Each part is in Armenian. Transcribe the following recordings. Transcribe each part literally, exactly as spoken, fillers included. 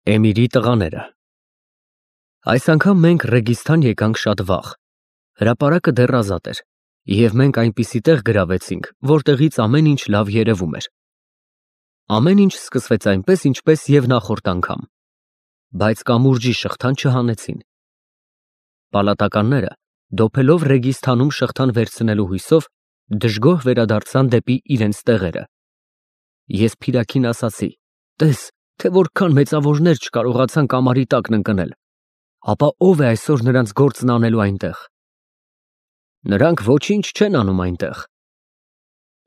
Էմիրի տղաները Այս անգամ մենք Ռեգիստան եկանք շատ վաղ, հրապարակը դեռ ազատ էր, և մենք այնպիսի տեղ գրավեցինք, որտեղից ամեն ինչ լավ երևում էր։ Ամեն ինչ սկսվեց այնպես, ինչպես և նախորդ անգամ, բայց կամուրջի շղթան չհանեցին։ Պալատականները, դոփելով Ռեգիստանում շղթան վերցնելու հույսով, դժգոհ վերադարձան դեպի իրենց տեղերը։ Ես Փիրաքին ասացի. «Տես, թե որքան մեծավորներ չկարողացան կամարի տակն ընկնել, ապա ո՞վ է այսօր նրանց գործն անելու այնտեղ»։ Նրանք ոչինչ չեն անում այնտեղ։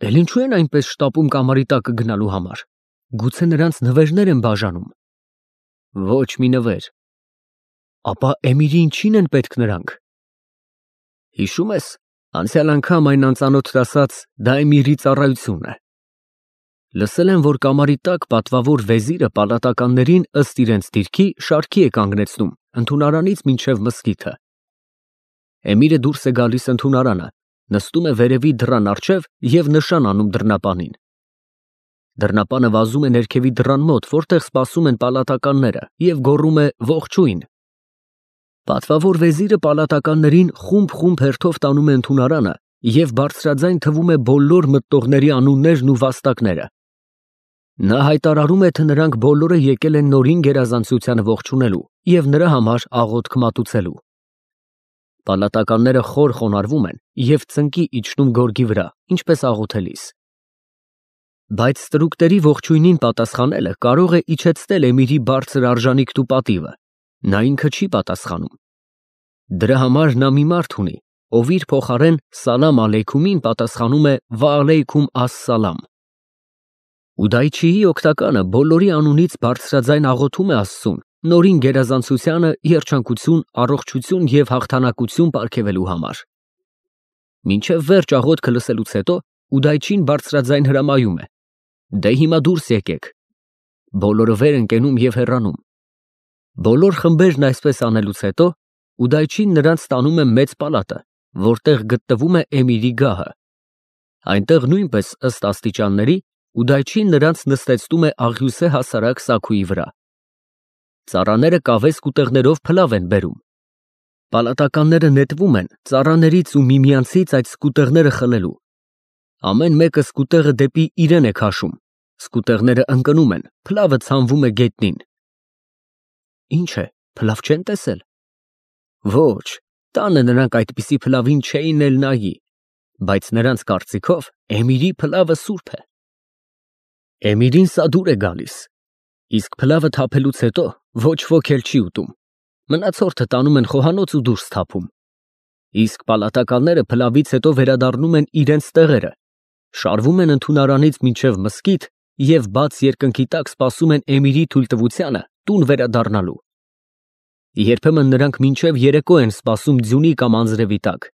Էլ ինչու են այնպես շտապում կամարի տակը գնալու համար, գուցե նրանց նվերներ են բաժանում։ Ոչ մի նվեր։ Ապա Էմիրի ինչի՞ն են պետք նրանք։ Հիշում ես, անցյալ անգամ այն անծանոթն ասաց, դա Էմիրի ծառայությունն է։ Լսել եմ, որ կամարի տակ պատվավոր վեզիրը պալատականներին ըստ իրենց դիրքի շարքի է կանգնեցնում ընդունարանից մինչև մզկիթը։ Էմիրը դուրս է գալիս ընդունարանը, նստում է վերևի դռան առջև և նշան անում դռնապանին։ Դռնապանը վազում է ներքևի դռան մոտ, որտեղ սպասում են պալատականները, և գոռում է ողջույն։ Պատվավոր վեզիրը պալատականներին խումբ-խումբ հերթով տանում է ընդունարանը և բարձրաձայն թվում է բոլոր մտնողների անուններն ու վաստակները։ Նա հայտարարում է, թե նրանք բոլորը եկել են Նորին գերազանցությանը ողջունելու և նրա համար աղոթք մատուցելու։ Պալատականները խոր խոնարհվում են և ծնկի իջնում գորգի վրա, ինչպես աղոթելիս։ Բայց ստրուկների ողջույնին պատասխանելը կարող է իջեցնել Էմիրի բարձր արժանիքն ու պատիվը, նա ինքը չի պատասխանում։ Դրա համար նա մի մարդ ունի, ով իր փոխարեն «Սալամ ալեյքումին» պատասխանում է «Վա ալեյքում աս֊սալամ»։ Ուդայչիի օգնականը բոլորի անունից բարձրաձայն աղոթում է Աստծուն Նորին գերազանցությանը երջանկություն, առողջություն և հաղթանակություն պարգևելու համար։ Մինչև վերջ աղոթքը լսելուց հետո Ուդայչին բարձրաձայն հրամայում է. «Դե հիմա դուրս եկեք»։ Բոլորը վեր են կենում և հեռանում։ Բոլոր խմբերն այսպես անելուց հետո Ուդայչին նրանց տանում է մեծ պալատը, որտեղ գտնվում է Էմիրի գահը։ Այնտեղ նույնպես ըստ աստիճանների Ուդայչին նրանց նստեցնում է աղյուսե հասարակ սաքույի վրա։ Ծառաները կավե սկուտեղներով փլավ են բերում։ Պալատականները նետվում են ծառաներից ու միմյանցից այդ սկուտեղները խլելու։ Ամեն մեկը սկուտեղը դեպի իրեն է քաշում, սկուտեղները ընկնում են, փլավը ցանվում է գետնին։ Ինչ է, փլավ չեն տեսել։ Ոչ, տանը նրանք այդպիսի փլավին չէին էլ նայի, բայց նրանց կարծիքով Էմիրի փլավը սուրբ է։ Էմիրին սա դուր է գալիս, իսկ փլավը թափելուց հետո ոչ ոք էլ չի ուտում, մնացորդը տանում են խոհանոց ու դուրս թափում։ Իսկ պալատականները փլավից հետո վերադառնում են իրենց տեղերը, շարվում են ընդունարանից մինչև մզկիթ և բաց երկնքի տակ սպասում են Էմիրի թույլտվությանը տուն վերադառնալու։ Երբեմն նրանք մինչև երեկո են սպասում ձյունի կամ անձրևի տակ,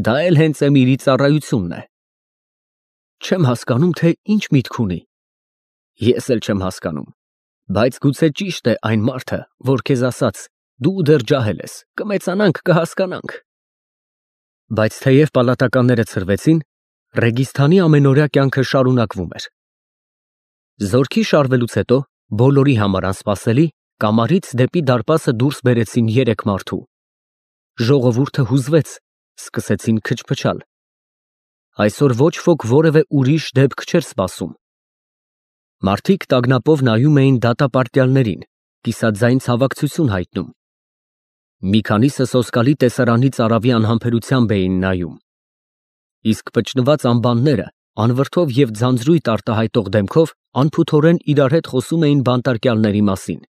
դա էլ հենց Էմիրի ծառայությունն է։ Չեմ հասկանում, թե ինչ միտք ունի։ Ես էլ չեմ հասկանում, բայց գուցե ճիշտ է այն մարդը, որ քեզ ասաց. դու դեռ ջահել ես, կմեծանանք, կհասկանանք։ Բայց թեև պալատականները ցրվեցին, Ռեգիստանի ամենօրյա կյանքը շարունակվում էր։ Զորքի շարվելուց հետո, բոլորի համար անսպասելի, կամարից դեպի դարպասը դուրս բերեցին երեք մարդու։ Ժողովուրդը հուզվեց, սկսեցին քչփչալ։ Այսօր ոչ ոք որևէ ուրիշ դեպք չէր սպասում։ Մարդիկ տագնապով նայում էին դատապարտյալներին, կիսաձայն ցավակցություն հայտնում։ Մի քանիսը սոսկալի տեսարանի ծարավի անհամբերությամբ էին նայում։ Իսկ փչնված անբանները անվրդով և ձանձրույթ արտահայտող դեմքով անփութորեն իրար հետ խոսում էին բանտարկյալների մասին։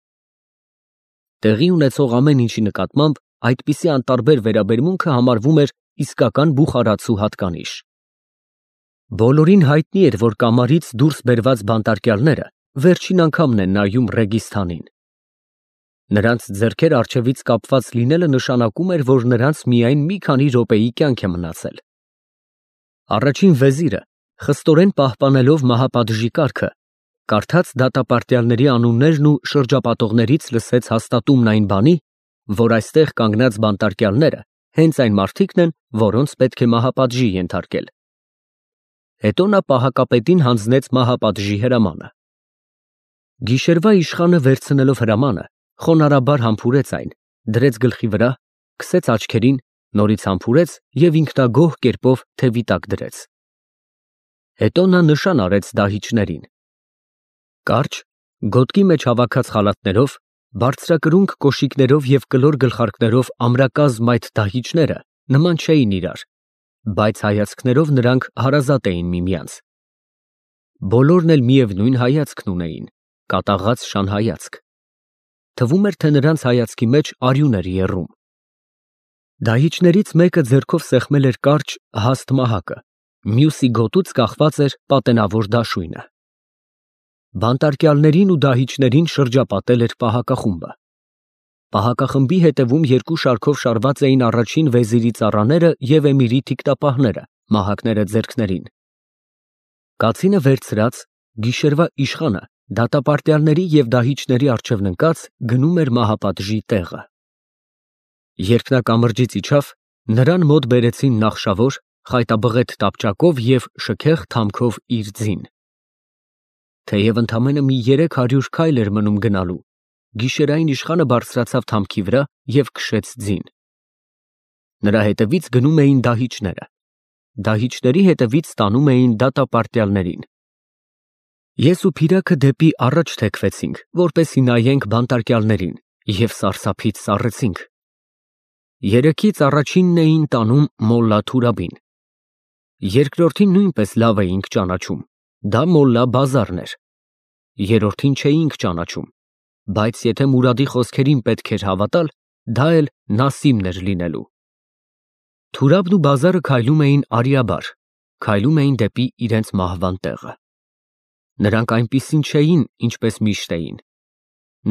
Տեղի ունեցող ամեն ինչի նկատմամբ այդպիսի անտարբեր վերաբերմունքը համարվում էր իսկական բուխարացու հատկանիշ։ Բոլորին հայտնի էր, որ կամարից դուրս բերված բանտարկյալները վերջին անգամն են նայում Ռեգիստանին։ Նրանց ձեռքեր առջևից կապված լինելը նշանակում էր, որ նրանց միայն մի քանի րոպեի կյանք է մնացել։ Առաջին վեզիրը, խստորեն պահպանելով մահապատժի կարգը, կարդաց դատապարտյալների անուններն ու շրջապատողներից լսեց հաստատումն այն բանի, որ այստեղ կանգնած բանտարկյալները հենց այն մարդիկն են, որոնց պետք է մահապատժի ենթարկել։ Հետո նա պահակապետին հանձնեց մահապատժի հրամանը։ Գիշերվա իշխանը վերցնելով հրամանը, խոնարհաբար համբուրեց այն, դրեց գլխի վրա, քսեց աչքերին, նորից համբուրեց և ինքնագոհ կերպով թևի տակ դրեց։ Հետո նա նշան արեց դահիճներին։ Կարճ, գոտկի մեջ հավաքած խալաթներով, բարձրակրունկ կոշիկներով և կլոր գլխարկներով ամրակազմ այդ դահիճները նման չէին իրար, բայց հայացքներով նրանք հարազատ էին միմյանց։ Բոլորն էլ միևնույն հայացքն ունեին, կատաղած շանհայացք։ Թվում էր, թե նրանց հայացքի մեջ արյուն էր եռում։ Դահիճներից մեկը ձեռքով սեղմել էր կարճ, հաստ մահակը, մյուսի գոտուց կախված էր պատենավոր դաշույնը։ Բանտարկյալներին ու դահիճներին շրջապատել էր պահակախումբը։ Պահակախմբի հետևում երկու շարքով շարված էին առաջին վեզիրի ծառաները և էմիրի թիկտապահները, մահակները ձեռքներին։ Կացինը վերցրած, գիշերվա իշխանը դատապարտյալների և դահիճների առջև ընկած գնում էր մահապատժի տեղը։ Երբ նա կամրջից իջավ, նրան մոտ բերեցին նախշավոր, խայտաբղետ տապճակով և շքեղ թամքով իր ձին։ Թեև ընդամենը մի երեք հարյուր քայլ էր մնում գնալու, գիշերային իշխանը բարձրացավ թամքի վրա և քշեց ձին։ Նրա հետևից գնում էին դահիճները, դահիճների հետևից տանում էին դատապարտյալներին։ Ես ու Փիրագը դեպի առաջ թեքվեցինք, որպեսզի նայենք բանտարկյալներին, և սարսափից սառեցինք։ Երեքից առաջինն էին տանում մոլլա Թուրաբին։ Երկրորդին նույնպես լավ էինք ճանաչում, դա մոլլա Բազարն էր։ Երրորդին չէինք ճանաչում, բայց եթե Մուրադի խոսքերին պետք էր հավատալ, դա էլ Նասիմն էր լինելու։ Թուրաբն ու Բազարը քայլում էին արիաբար, քայլում էին դեպի իրենց մահվան տեղը։ Նրանք այնպիսին չէին, ինչպես միշտ էին։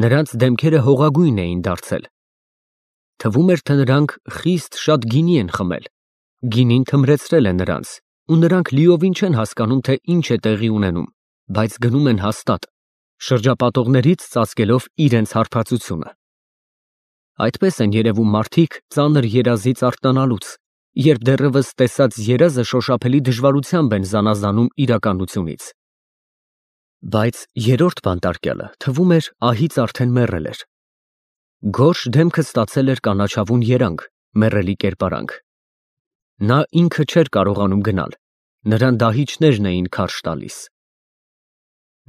Նրանց դեմքերը հողագույն էին դարձել։ Թվում էր, թե նրանք խիստ շատ գինի են խմել, գինին թմրեցրել է նրանց, ու նրանք լիովին չեն հասկանում, թե ինչ է տեղի ունենում, բայց գնում են հաստատ, շրջապատողներից ծածկելով իրենց հարբածությունը։ Այդպես են երևում մարդիկ ծանր երազից արթնանալուց, երբ դեռևս տեսած երազը շոշափելի դժվարությամբ են զանազանում իրականությունից։ Բայց երրորդ բանտարկյալը, թվում էր, ահից արդեն մեռել էր։ Գորշ դեմքը ստացել էր կանաչավուն երանգ, մեռելի կերպարանք։ Նա ինքը չէր կարողանում գնալ, նրան դահիճներն էին քարշ տալիս։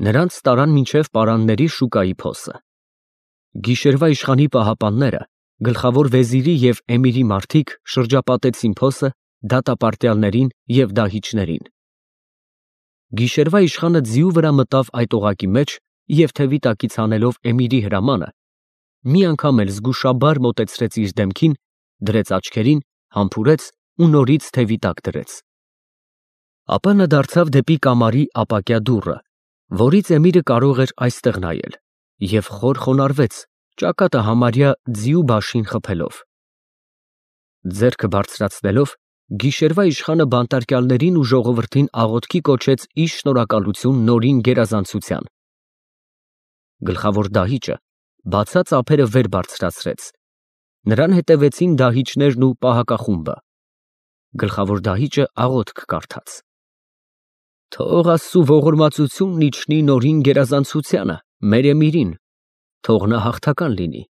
Նրանց տարան մինչև պարանների շուկայի փոսը։ Գիշերվա իշխանի պահապանները, գլխավոր վեզիրի և էմիրի մարդիկ շրջապատեցին փոսը, դատապարտյալներին և դահիճներին։ Գիշերվա իշխանը ձիու վրա մտավ այդ օղակի մեջ և թևի տակից հանելով էմիրի հրամանը, մի անգամ էլ զգուշաբար մոտեցրեց իր դեմքին, դրեց աչքերին, համբուրեց ու նորից թևի տակ դրեց։ Ապա նա դարձավ դեպի կամարի ապակյա դուռը, որից էմիրը կարող էր այստեղ նայել, և խոր խոնարհվեց, ճակատը համարյա ձիու բաշին խփելով։ Ձեռքը բարձրացնելով, գիշերվա իշխանը բանտարկյալներին ու ժողովրդին աղոթքի կոչեց իր շնորհակալություն նորին գերազանցության։ Գլխավոր դահիճը բացած ափերը վեր բարձրացրեց։ Նրան հետևեցին դահիճներն ու պահակախումբը։ Գլխավոր դահիճը աղոթք կարդաց. Թող Աստծու ողորմածությունն իջնի նորին գերազանցությանը, մեր էմիրին, թող նա հաղթական լինի,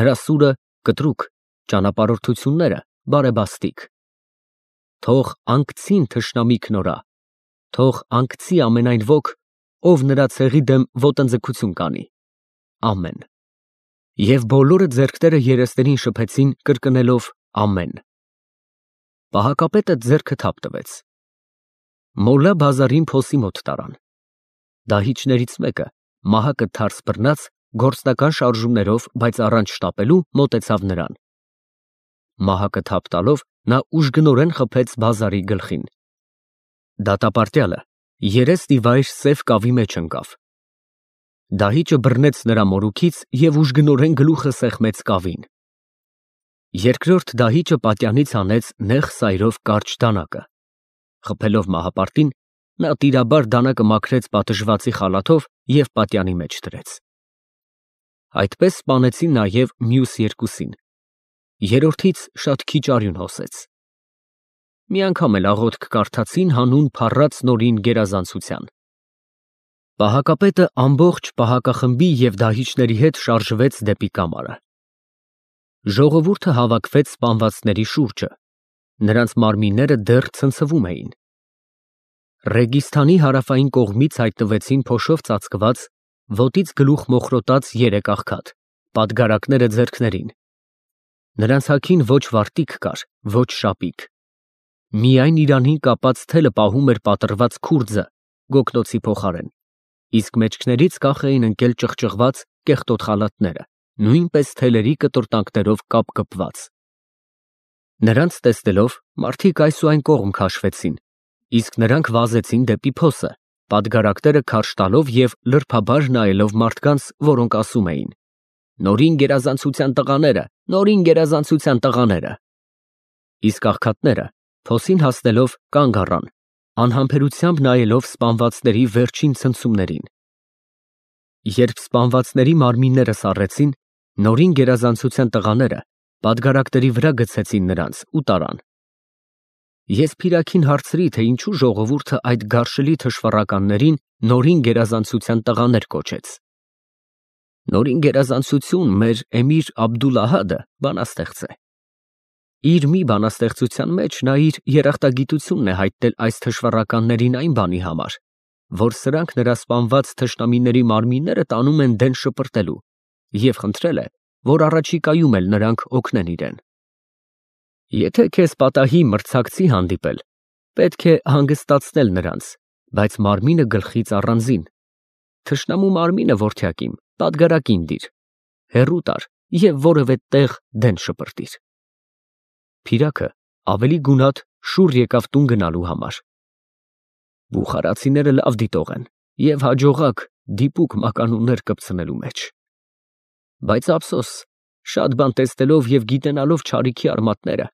նրա սուրը կտրուկ, ճանապարհորդությունները բարեբաստիկ։ Թող անկցին թշնամի քնորա, թող անկցի ամենայն ոք, ով նրա ցեղի դեմ ոտնձգություն կանի։ Ամեն։ Եվ բոլորը ձեռքները երեսներին շփեցին, կրկնելով ամեն։ Պահակապետը ձեռքը թափ տվեց։ Մոլլա Բազարին փոսի մոտ տարան։ Դահիճներից մեկը, մահակը թարս բռնած, գործնական շարժումներով, բայց առանց շտապելու, մոտեցավ նրան։ Մահակը թափ տալով, նա ուժգնորեն խփեց Բազարի գլխին։ Դատապարտյալը երես ի վայր սև կավի մեջ ընկավ։ Դահիճը բռնեց նրա մորուքից և ուժգնորեն գլուխը սեղմեց կավին։ Երկրորդ դահիճը պատյանից հանեց նեղ սայրով կարճ դանակը։ Խփելով մահապարտին, նա տիրաբար դանակը մաքրեց պատժվածի խալաթով և պատյանի մեջ դրեց։ Այդպես սպանեցին նաև մյուս երկուսին։ Երրորդից շատ քիչ արյուն հոսեց։ Մի անգամ էլ աղոթք կարդացին հանուն փառած նորին գերազանցության։ Պահակապետը ամբողջ պահակախմբի և դահիճների հետ շարժվեց դեպի կամարը։ Ժողովուրդը հավաքվեց սպանվածների շուրջը, նրանց մարմինները դեռ ցնցվում էին։ Ռեգիստանի հարավային կողմից հայտնվեցին փոշով ծածկված, ոտից գլուխ մոխրոտած երեք աղքատ, պատգարակները ձեռքներին։ Նրանց հագին ոչ վարտիք կար, ոչ շապիկ։ Միայն իրանին կապած թելը պահում էր պատռված քուրձը գոգնոցի փոխարեն, իսկ մեջքներից կախ էին ընկել ճղճղված կեղտոտ խալաթները, նույնպես թելերի կտորտանքներով կապկպված։ Նրանց տեսնելով մարդիկ այս ու այն կողմ քաշվեցին, իսկ նրանք վազեցին դեպի փոսը, պատգարակները քարշ տալով և լրբաբար նայելով մարդկանց, որոնք ասում էին. «Նորին գերազանցության տղաները, նորին գերազանցության տղաները»։ Իսկ աղքատները, փոսին հասնելով, կանգ առան, անհամբերությամբ նայելով սպանվածների վերջին ցնցումներին։ Երբ սպանվածների մարմինները սառեցին, նորին գերազանցության տղաները պատգարակների վրա գցեցին նրանց ու տարան։ Ես Փիրաքին հարցրի, թե ինչու ժողովուրդը այդ գարշելի թշվառականներին նորին գերազանցության տղաներ կոչեց։ Նորին գերազանցություն մեր Էմիր Աբդուլահադը բանաստեղծ է։ Իր մի բանաստեղծության մեջ նա իր երախտագիտությունն է հայտնել այս թշվառականներին այն բանի համար, որ սրանք նրա սպանված թշնամիների մարմինները տանում են դեն շպրտելու, և խնդրել է, որ առաջիկայում էլ նրանք օգնեն իրեն։ Եթե քեզ պատահի մրցակցի հանդիպել, պետք է հանգստացնել նրանց, բայց մարմինը գլխից առանձին։ Թշնամու մարմինը, որդյակ իմ, պատգարակին դիր, հեռու տար և որևէ տեղ դեն շպրտիր։ Փիրակը ավելի գունատ շուռ եկավ տուն գնալու համար։ Բուխարացիները լավ դիտող են և հաջողակ դիպուկ մականուններ կպցնելու մեջ։ Բայց ափսոս, շատ բան տեսնելով և գիտենալով չարիքի արմատները,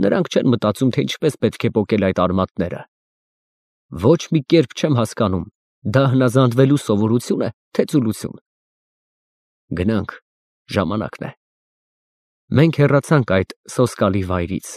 նրանք չեն մտածում, թե ինչպես պետք է պոկել այդ արմատները։ Ոչ մի կերպ չեմ հասկանում, դա հնազանդվելու սովորությո՞ւն է, թե ծուլություն։ Գնանք, ժամանակն է։ Մենք հեռացանք այդ սոսկալի վայրից։